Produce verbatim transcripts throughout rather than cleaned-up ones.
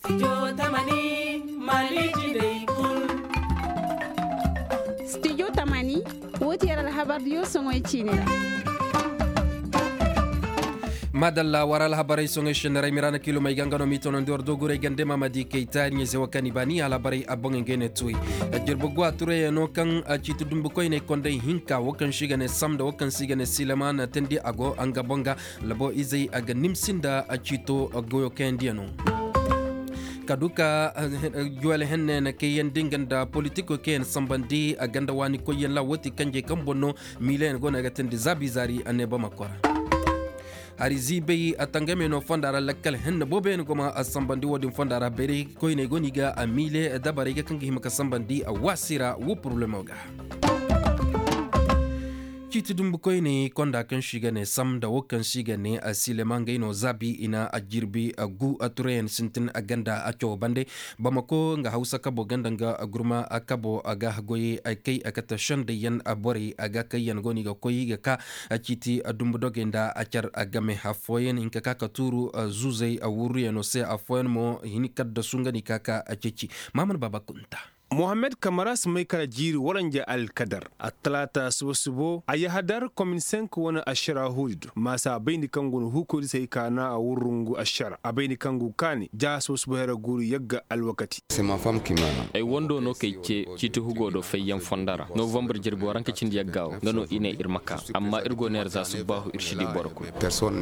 Studio tamani, woo ti yer alhabar diyo soŋoy ciini ra. Maadalla war alhabarey soŋoy sennarey miraana kiilomey ga nga no m'i tonandi war doogurey gande maamadi kay taariɲey se wo kaŋ i baani alhabarey a boŋey ngey ne tuwey. Jirbi guwa turayano kaŋ ciiti dumbu koyney kondey hinka wo kaŋ se i ga ne sam nda wo kaŋ se i ga ne sileman teendi a go nga boŋ ga. Labo izey a ga nimsi nda ciito goyo kayandiyano. Ka du ka juwel henne na kayandi nga nda politiko kaŋ yaŋ sambandi a ganda waani koyyaŋ ra wo ti kanjey kaŋ boŋ no miileyaŋ go no a ga teendi zaabi zaari a ne bamako ra. Hari ziibay a tangamey no fonda ra lakkal henne booboyaŋ go ma a sambandi wo-din fonda ra bayray koyney go no i ga a miile dabarey ga kaŋ ga hima ka sambandi a waasi ra wo poroblemo ga. Ciiti dumbu koyne konda kaŋ se i ga ne sam nda wo kaŋ se i ga ne a silema ngey no zaabi i na a jirbi a gu a turayaŋ sintin a ganda a cawo bande. Bamako nga hawsa kabo ganda nga gurma a kabo a ga goyey a kay a kate sendayyaŋ a borey a ga kayyaŋ go no i ga koy i ga ka a ciiti a dumbu dogey nda a car a game affooyaŋ hinka ka ka tuuru a zuuzey a wurruyaŋo se affooyaŋ mo hini kaddasu nga no i ka ka a ceeci. Maamar baaba kunta. Mohammed kamara si may kala jiiri waranja alkadar attalaata subo-subo a yahadar komin senk wane ašara huudi do maasa a bayndi kaŋ go no huukoydi se ay kaana a wurrungu ašara a bayndi kaŋ go kaani ja subo-subo hera guuru yagga alwakati. Ay wando no kay ce ciiti hugo do fayyaŋ fondo ra novambar jirbi waranka cindi yagga wo nga no i ne ir ma ka amma ir go neera za subbaahu ir si di boro kul.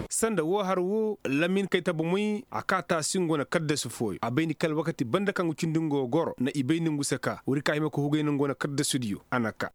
Sanda woo har woo lamin kay tabamoy a ka taasi nga wane kaddasu fooyo a bayndi kala wakati banda kaŋ ga cindi nga wo goro nda i bayndi nga se ka woodi ka hima ka hugay nda nga wane kaddasudiyo a na ka.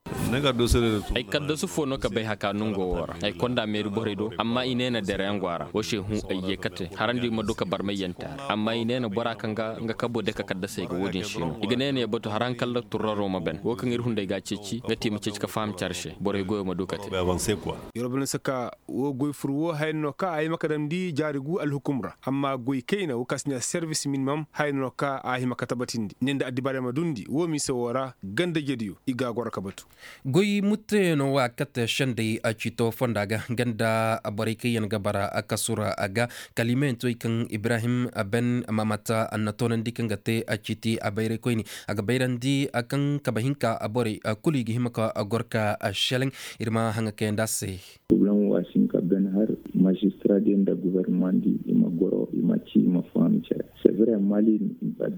Ay kaddasu foo no ka bay haka nongo woo ra ay konda meeri borey do amma i ne na dereyaŋ go a ra woo se hũ ay ye kate harandi ma du ka barmayyaŋ te a ra amma i ne na bora kaŋ ga nga kabo deka kaddasey ga woo din se no i ga ne na ye batu har haŋ kala turraro ma ban woo kaŋ ir hunday ga a ceeci nga te i ma ceeci ka faham care se borey goyo ma du ka te. Yerwa bana saka woo goy fur woo haya no ka a hima ka damndi jaari gu alhukum ra amma goy kayna woo ka si ne serbis minimam haya no ka a hima ka tabatindi ne nda addibaarey ma dundi woo mise woo ra ganda jediyo i ga a goro ka batu. Goy mutteyaŋo wa kate sendey a ciito fonda ga ganda borey kaŋ yaŋ ga bara a kasu ra a ga kala i ma yaŋ toy kaŋ ibrahim ben mamata a na toonandi kaŋ ga te a ciiti a bayray koyne a ga bayrandi a kaŋ kabe hinka a borey kulu i ga hima ka goro ka a seleŋ. Ir ma haŋa kayandi a se. Poroblem wo a si hin ka ben har mazistira diyaŋ nda gofornoma di i ma goro i ma ci i ma faham care. Sevre mali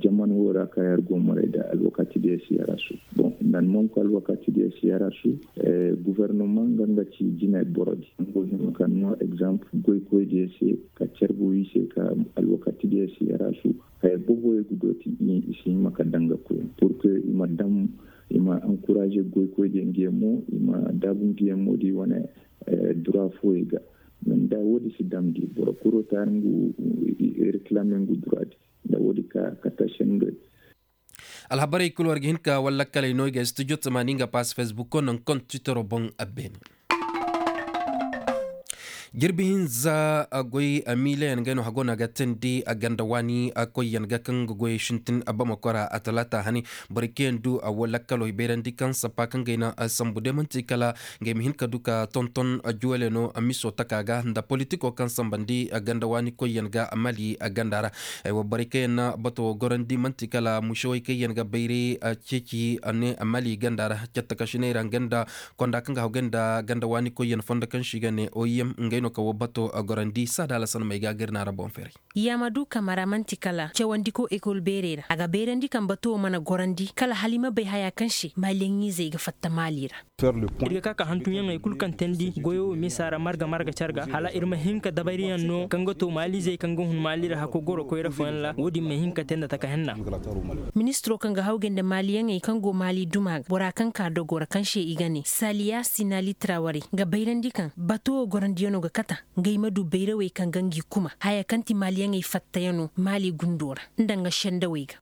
jaman wo ra ka yar go moray da alwakati diyaŋ si yarasu. Bon nda ni manku alwakati diyaŋ si yarasu. Gofornoma nga nga ci jinay boro di nga go hima ka no egzamp goykoy diyaŋ se ka carbu i se ka alwakati diyaŋ si yarasu. Haya booboyaŋ ga dooti i si hima ka daŋ ga koy purke i ma daŋ i ma ankuraze goykoydiyaŋ nga yaŋ mo i ma daabu nga yaŋ mo da i wane dura fooyey ga. Nda woodi si damndi boro kul wo taari ngu reklame ngu dura di nda woodi ka kata sendo. Alhabarey kul war ga hin ka walla kaley no i ga studio tamaani nga pass facebook ko naŋ kon twittero boŋ a beene. Jirbi hinza goy miileyaŋ gay no hago no a ga teendi a ganda waani koyyaŋ ga kaŋ ga goyey sintin bamako ra a talaata hane. Borey kaŋ yaŋ du a wo lakkalo i bayrandi kaŋ sappa kaŋ gay na sambu day man'ti kala ngey ma hin ka du ka tonton juwaley no miso taka ga nda politiko kaŋ sambandi ganda waani koyyaŋ ga mali ganda ra. Borey kaŋ yaŋ na bato wo gorandi man'ti kala musewey kaŋ yaŋ ga bayray ceeci ne mali ganda ra. Cattakasiney ra nga nda konda kaŋ ga haw gay nda ganda waani koyyaŋ fondo kaŋ se i ga ne oim ngey no kaŋ wo bato gorandi saada alasan may ga gir na ra boŋ feeray. Yamadu kamara man'ti kala cawandiko ekol beerey ra a ga bayrandi kaŋ bato wo mana gorandi kala hala i ma bay haya kaŋ se maliyaŋizey ga fatta mali ra. Ir ga ka ka hantumyaŋey kul kaŋ teendi goyo wo misa ra marga marga care ga hala ir ma hin ka dabayriyaŋ no kaŋ ga to maalizey kaŋ ga hun mali ra hakko goro koyra fooyaŋ ra wo-din ma hin ka tee nda taka henna. Ministiro kaŋ ga hawgay nda maaliyaŋey kaŋ go maali duma ga bora kaŋ ka dogo ra kaŋ se i ga ne saliya sinali traware ga bayrandi kaŋ bato wo gorandiyaŋo ga kata ngey ma du bayrawey kaŋ ga ngi kuma haya kaŋ ti maaliyaŋey fattayaŋo maali gundo ra nda nga sendawey ga.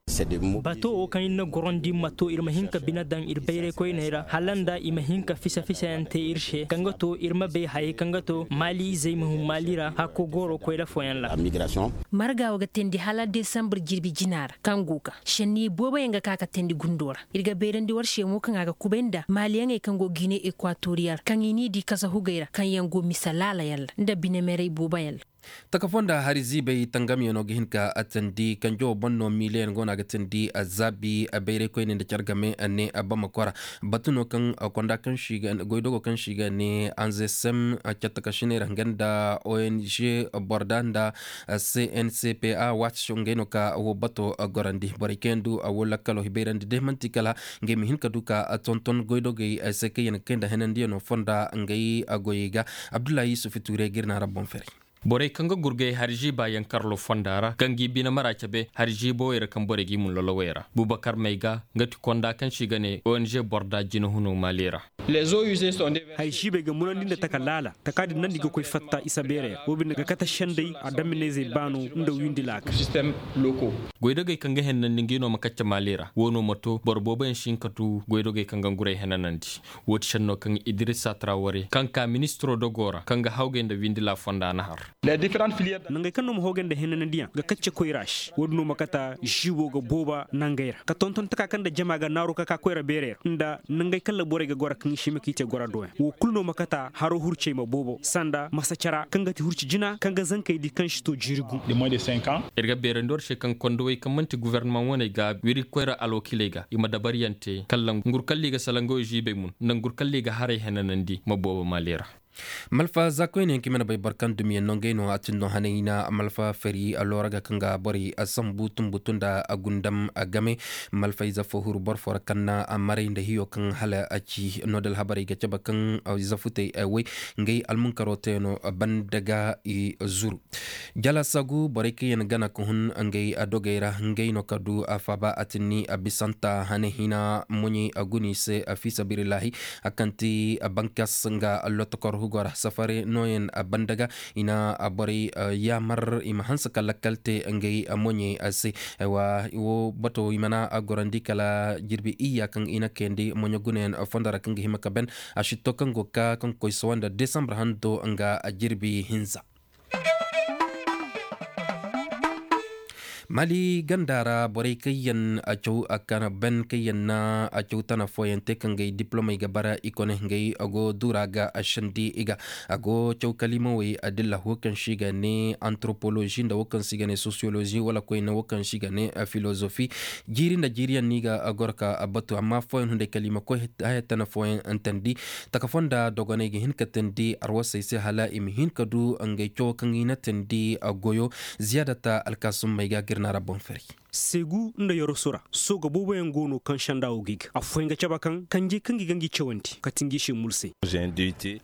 Bato wo kaŋ ir na gorandi ma to ir ma hin ka bine daŋ ir bayray koyney ra hala nda i ma hin ka fisa fisayaŋ te ir se kaŋ ga to ir ma bay hayey kaŋ ga to maali izey ma hun maali ra hakko gooro koyra fooyaŋ ra. Marga wo ga teendi hala desambar jirbi jina ra kaŋ go ga senniyey booboyaŋ ga ka ka teendi gundo ra. Ir ga bayrandi war se mo kaŋ a ga kubay nda maaliyaŋey kaŋ go gine ekwatoriyal kaŋ i n'i di kasa hugey ra kaŋ yaŋ go mise laalayaŋ ra nda binemerey booboyaŋ ra. Taka fonda hari ziibay tangamyaŋo ga hin ka tandi kanjo boŋ no miileyaŋ go no a ga tandi zaabi bayraykoyne nda care game ne bama kora. Batu no kaŋ konda kaŋ si ga goydogo kaŋ si ga ne anzesem cattakasiney ra nga nda ong borda nda cncpa waati si ngey no ka wo bato gorandi borey kaŋ yaŋ du wo lakkalo hibayrandi day manti kala ngey ma hin ka du ka tonton goydogey se kaŋ yaŋ ga kay nda henandiyaŋo fonda ngey goyey ga. Abdullahi yusuf ture ga ir na ra boŋ fere. Borey kaŋ ga gurgay hari ziiba yankarlo fonda ra kaŋ ga i bine mara cabe hari ziibowey ra kaŋ borey ga i mun lolowey ra bubakar may ga nga ti konda kaŋ se i ga ne ong borda jinahuno maali ra. Hari ziibey ga munandi nda taka laala taka din nandi ga koy fatta isa beerey ra wo bine ga kate senday adamminayzey baano nda windi laaka. Goydogey kaŋ ga henanandi nga i no ma kacce maali ra wo no ma to boro booboyaŋ si hin ka tu goydogey kaŋ ga nguray henanandi. Wo ti senno kaŋ idirisa traware kaŋ ka ministiro dogo ra kaŋ ga hawgay nda windila fonda na har. Nangey kaŋ no ma hawgay nda henanandiyaŋ ga kacce koyra se wo- din no ma kata ziibo ga booba nangey ra ka tonton taka kaŋ nda jama ga naaru ka ka koyra beerey ra nda nangey kaŋ ra borey ga goro kaŋ i se i ma ka i te gora doyaŋ wo kulu no ma kata haro hurcey ma boobo sanda masa cara kaŋ ga ti hurci jina kaŋ ga zankey di kaŋ si to jiiri gu. Ir ga beerandi war se kaŋ kondowey kaŋ man'ti gofornamaŋ waney ga wiri koyra alwakiiley ga i ma dabaryaŋ te kala ngur kaŋ ra i ga salangawey ziibey mun nda ngur kaŋ ra i ga haray henanandi ma boobo maali ra. Malfa za koyne yaŋ kaŋ i mana bay boro kaŋ dumiyaŋ no ngey no a tin no hanay hina malfa fari loora ga kaŋ ga borey sambu tumbutu nda gundam game. Malfa ize fo huru boro fo ra kaŋ na maray nda hiyo kaŋ hala a ci no da alhabarey ga cabe kaŋ ize futey way ngey almunkaro teeno banda ga i zuru. Jalasagu borey kaŋ yaŋ gana ka hun ngey dogey ra ngey no ka du a faaba a tinni a bisanta hane hina moɲey a guni se a fi sabilillahi. A kaŋ ti bankas nga lotokor hugo ra safare nooyaŋ banda ga i na borey yaamar i ma hanse ka lakkal te ngey moɲey se. Aywa wo bato i mana gorandi kala jirbi iyya kaŋ i na kayandi moɲo gunayaŋ fondo ra kaŋ ga hima ka ben a sitto kaŋ go ga ka kaŋ koy sawa nda desambar hando nga jirbi hinza. Mali ganda ra borey kaŋ yaŋ a caw a kana ben kaŋ yaŋ na a caw tana fooyaŋ te kaŋ gay diplomey ga bara i kone ngey a go dura ga a sandi i ga a go caw kalimawey a dilla wo kaŋ se i ga ne antropolozi nda wo kaŋ se i ga ne sosiyolozi wala koyne wo kaŋ se i ga ne filozofi. Jiiri nda jiiriyaŋ no i ga a goro ka a batu amma fooyaŋ hunday kalima koy haya tana fooyaŋ antandi taka fonda dogoney ga hin ka teendi arwasey se hala i ma hin ka du ngey cawo kaŋ i na teendi goyo. Ziyaadata alkaasum may ga gir na ra boŋ fari. Seegu nda yoroso ra sooga booboyaŋ go no kaŋ senda wo ga i ga afooyaŋ ga cabe kaŋ kanjey kaŋ ga i ga ngi cawandi kati ngi se mulsey.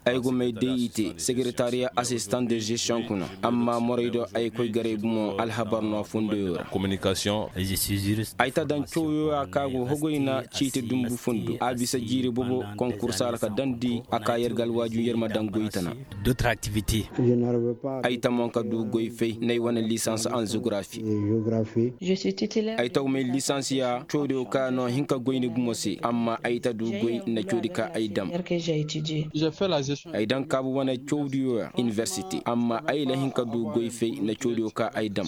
Ay go may day i te sekeretariya asistan de zestion kuna amma moraydo ay koy garay gumo alhabar no a fondoyo ra. Ay ta daŋ cawyo ya kaŋ a go hogoyna ciiti dumbu fundo a bisa jiiri boobo konkursa ra ka daŋ di a ka yer ga alwaaju yer ma daŋ goy tana. Ay ta mo ka du goy fay n'ay wane lisans an zografi. Ay ta wumay lisans ya cawdiyo ka no hin ka goy ni gumo se amma ay ta du goy nda cawdi ka ay daŋ. Ay daŋ kaabu wane cawdiyo ya iniversite amma ay la hin ka du goy fay nda cawdiyo ka ay daŋ.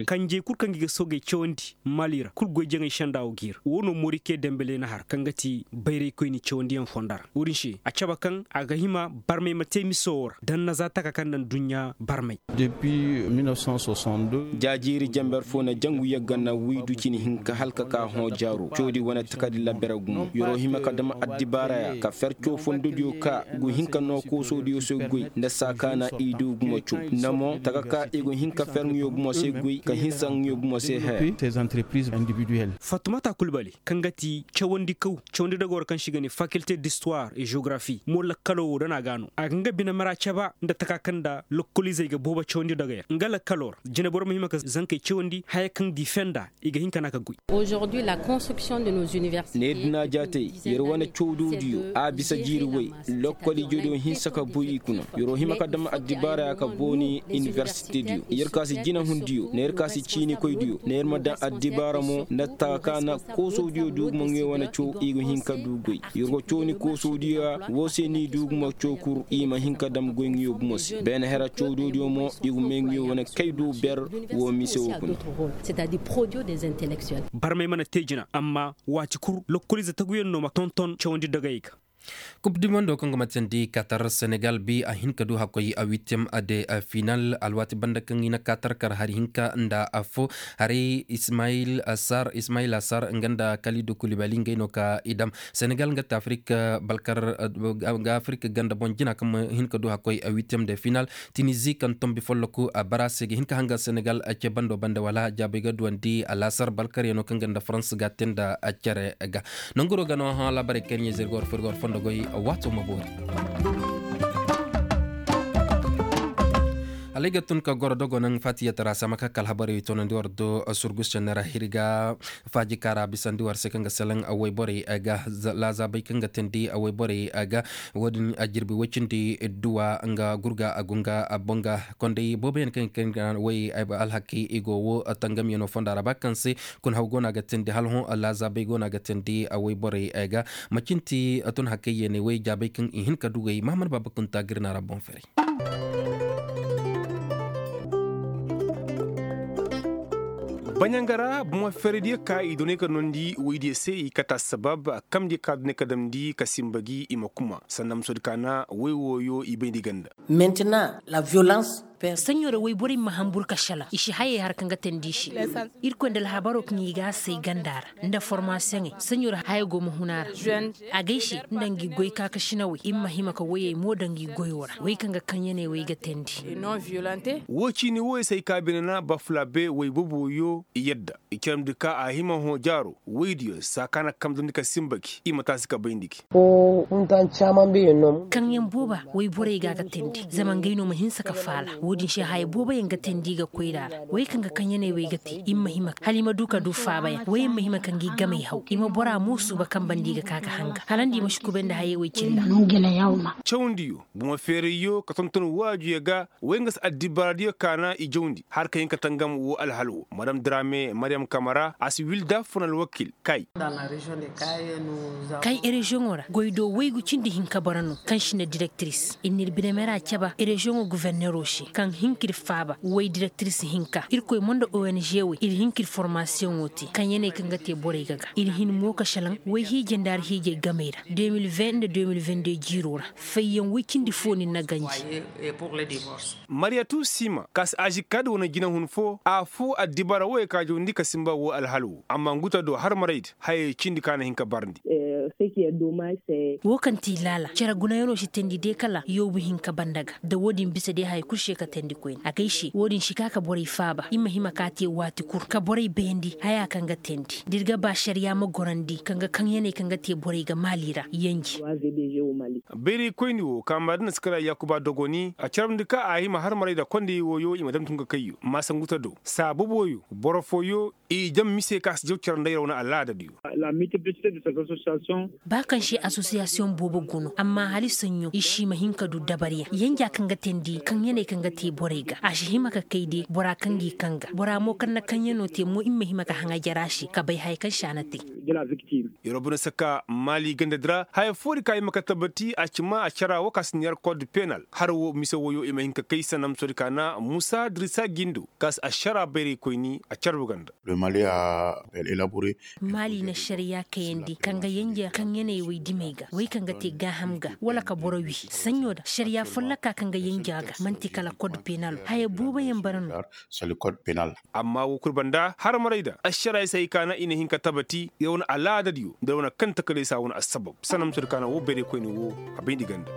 Kanjey kul kaŋ gi ga soogey cawandi mali ra kul goy jaŋay senda wo ga ir wo no morike dembele na har kaŋ ga ti bayraykoyni cawandiyaŋ fonda ra wo-din se a cabe kaŋ a ga hima barmay ma te miso wo ra daŋ na za taka kaŋ daŋ duɲɲa barmay. Jaajiiri jamber fo na jangu yagga na waydu cine hinka hala ka ka hõ jaaro cawdi wane takardi labere gumo yer'o hima ka dam addibaaraya ka fer caw fondodiyo ka go hin ka noo koosodiyo se goy nda saa ka na i du gumo caw namo taka ka i go hin ka fer ŋiyo gumo se goy ka hinsa ŋiyo gumo se haya. Fatumata kulbali kaŋ ga ti cawandi kaw cawandi dogoro kaŋ se i ga ne fakilte distuwar et geografi mo lakkalo wo dana ga no a ga nga bine mara caba nda taka kaŋ nda lokkoliizey ga boobo cawandi dogey ra nga lakkalo ra jineboro ma hima ka zankey cawandi haya kaŋ di fenda i ga hin ka na ka goy. Neeri dina jaatey yer wane cawdodiyo a bisa jiiri way lokkol ijediyo hinsa ka buy i kuna yer'o hima ka dam addibaaraya ka booni iniversitediyo yer ka si jinahundiyo nda yer ka si ciinikoydiyo nda yer ma daŋ addibaara mo nda taka ka na koosodiyo du gumo ŋiyo wane caw i ga hin ka du goy yer go caw ni koosodiyo ya wo se no i du gumo caw kul i ma hin ka dam goy ŋiyo gumo se beene hera cawdodiyo mo i ga may ŋiyo wane kay du ber wo mise wo kuna. Barmey mana te jina amma waati kul lokkoliize taguyaŋ no ma tonton cawandi dogayey ga. Kub di mondo kaŋ go ma teendi katar senegal bi a hin ka du hakkoy a wittem de final alwaati banda kaŋ i na katar kar hari hinka nda affo. Haray ismail asar ismail asar nga nda kalidu kulibali ngey no ka i dam. Senegal nga te afirika balkar nga afirika ganda boŋ jina kaŋ ma hin ka du hakkoy a wittem de final. Tinizi kaŋ tombi folloku a bara se ga hin ka hanga senegal ce bando banda wala jaabay ga duwandi alasar balkar yaŋ no kaŋ ga nda farans ga te nda cere ga. Nanguro ga no hã laabaray kaŋ ɲeezey ga war fur ga war fondo goy. Waato ma boori. Alay ga tun ka goro dogo naŋ fatiya tara sama ka kala habaray tonandi war do surgus cannara hirga. Faaji kaara bisandi war se kaŋ ga salaŋ wayborey ga laazaabay kaŋ ga teendi wayborey ga. Wo-din a jirbi way cindi duwa nga gurga a gunga a bonga. Konday booboyaŋ kaŋ kaŋ ga way alhakey i go wo tangamyaŋo fonda ra ba kaŋ se. Kun haw go no a ga teendi hala hõ laazaabay go no a ga teendi a wayborey ga. Macinti tun hakey yeeney way jaabay kaŋ i hin ka dugay mahamad baaba kunta ga ir na ra boŋ ferey. Baɲanga ra bomo ferediyo ka i doney ka nondi woydiyo se i kata sabab. Kamdiyo ka doney ka damndi ka simba gi i ma kuma sanda musodi ka na woy wooyo i bayndi ganda. Maintenant la violence. Saɲo ra woyborey ma hambur ka šalaŋ i si hayey har kaŋ ga teendi i se. Irkoy nda alhabaro kaŋ i ga a say ganda ra nda formasiyoŋey saɲo ra haya go ma hun a ra. Agay se nda ngi goy kaakasinawey i ma hima ka woyey mo daŋ ngi goyo ra wey kaŋ ga kaŋyaney wey ga teendi. Wo ciini woyey se ay ka bine na bafulabe woy boboyo i yadda i caramndi ka a hima hõ jaaro woydiyo saa ka na kamdandi ka simba gi i ma taasi ka bayndi gi. Kaŋyaŋ booba woyborey ga a ga teendi zama ngey no ma hinsa ka faala wo-din se haya booboyaŋ ga teendi ga koyra ra wey kaŋ ga kaŋyaney wey ga te i ma hima hala i ma du ka du faabayaŋ woyaŋ ma hima ka ngi gamey haw i ma bora mo suuba kaŋ banda i ga ka ga hanga hala nda i ma si kubay nda hayey wey cilla. Cawndiyo bomo feerayyo ka tonton waajuyo ga wey nga si addibaaradiyo ka na i jawndi har ka hin ka tangam wo alhal wo madam diraame mariyam kamara a si wilda fun alwakil kay. Kay ereziyoŋo ra goy do waygu cindi hinka bara no kaŋ si na direktiris ir n'ir binemera caba ereziyoŋo guverneero se kaŋ hin k'ir faaba way direktiris hinka irkoy mo nda ong wey ir hin k'ir formasiyoŋo te kaŋ ya ne kaŋ ga te borey ga ga ir hin mo ka salaŋ way hiijey nda har hiijey gamey ra de mil vingt nda de mil vingt deux jiiro ra. Fayyaŋ way cindi fo ni na ganji. Mariyatu sima kaŋ si azi ka da wane jinahun fo a fo addibara woyey ka jawandi ka simba wo alhal wo amma nguta do har maray da hayey cindi kaŋ a na hin ka barndi. Wo kaŋ ti laala cere gunayaŋo si teendi day kala yoobu hinka banda ga da wo-din bisa day haya kulu se ka teendi koyne a gay se wo-din si ka ka borey faaba i ma hima ka te waati kul ka borey bayandi haya kaŋ ga teendi da ir ga ba ašariya ma gorandi kaŋ ga kaŋyaney kaŋ ga te borey ga maali ra yanji. Bayraykoyni wo kaama da na si kara yaakuba dogoni a carabndi ka a hima har maray nda kondey wooyo i ma dam tun ka kayyo maasa nguta do saa boboyo boro fooyo i jam mise ka si jaw cere nda yer wane alaadadiyo. Ba kaŋ se asosiyasiyoŋ boobo go no amma hala i saɲɲo i si ma hin ka du dabaryaŋ yanja kaŋ ga teendi kaŋyaney kaŋ ga te borey ga a si hima ka kay de bora kaŋ ga i kaŋ ga bora mo kaŋ na kaŋyano te mo i ma hima ka haŋa jara se ka bay haya kaŋ se a na te. Yer wo bine saka maali ganda di ra haya foo di ka i ma ka tabati a ci ma a cara wo ka si neer kod penal har wo mise woyo i ma hin ka kay sanam soo di ka na musa dirisa gindo ka si a cara bayraykoyni a carbu ganda. Maali na ašariya kayandi kaŋ ga yanja kaŋyaney wey dimey ga wey kaŋ ga te gaaham ga wala ka boro wi saɲɲo da ašariya folloka kaŋ ga yanja ga man'ti kala kod penal haya booboyaŋ bara no. Amma wo kul banda har maray da ašaray se ay kaana i na hin ka tabati yer wane alaadadiyo nda yer wane kaŋ takalay se a wane assabab sanam soo di ka na wo bayraykoyni wo a bayndi ganda.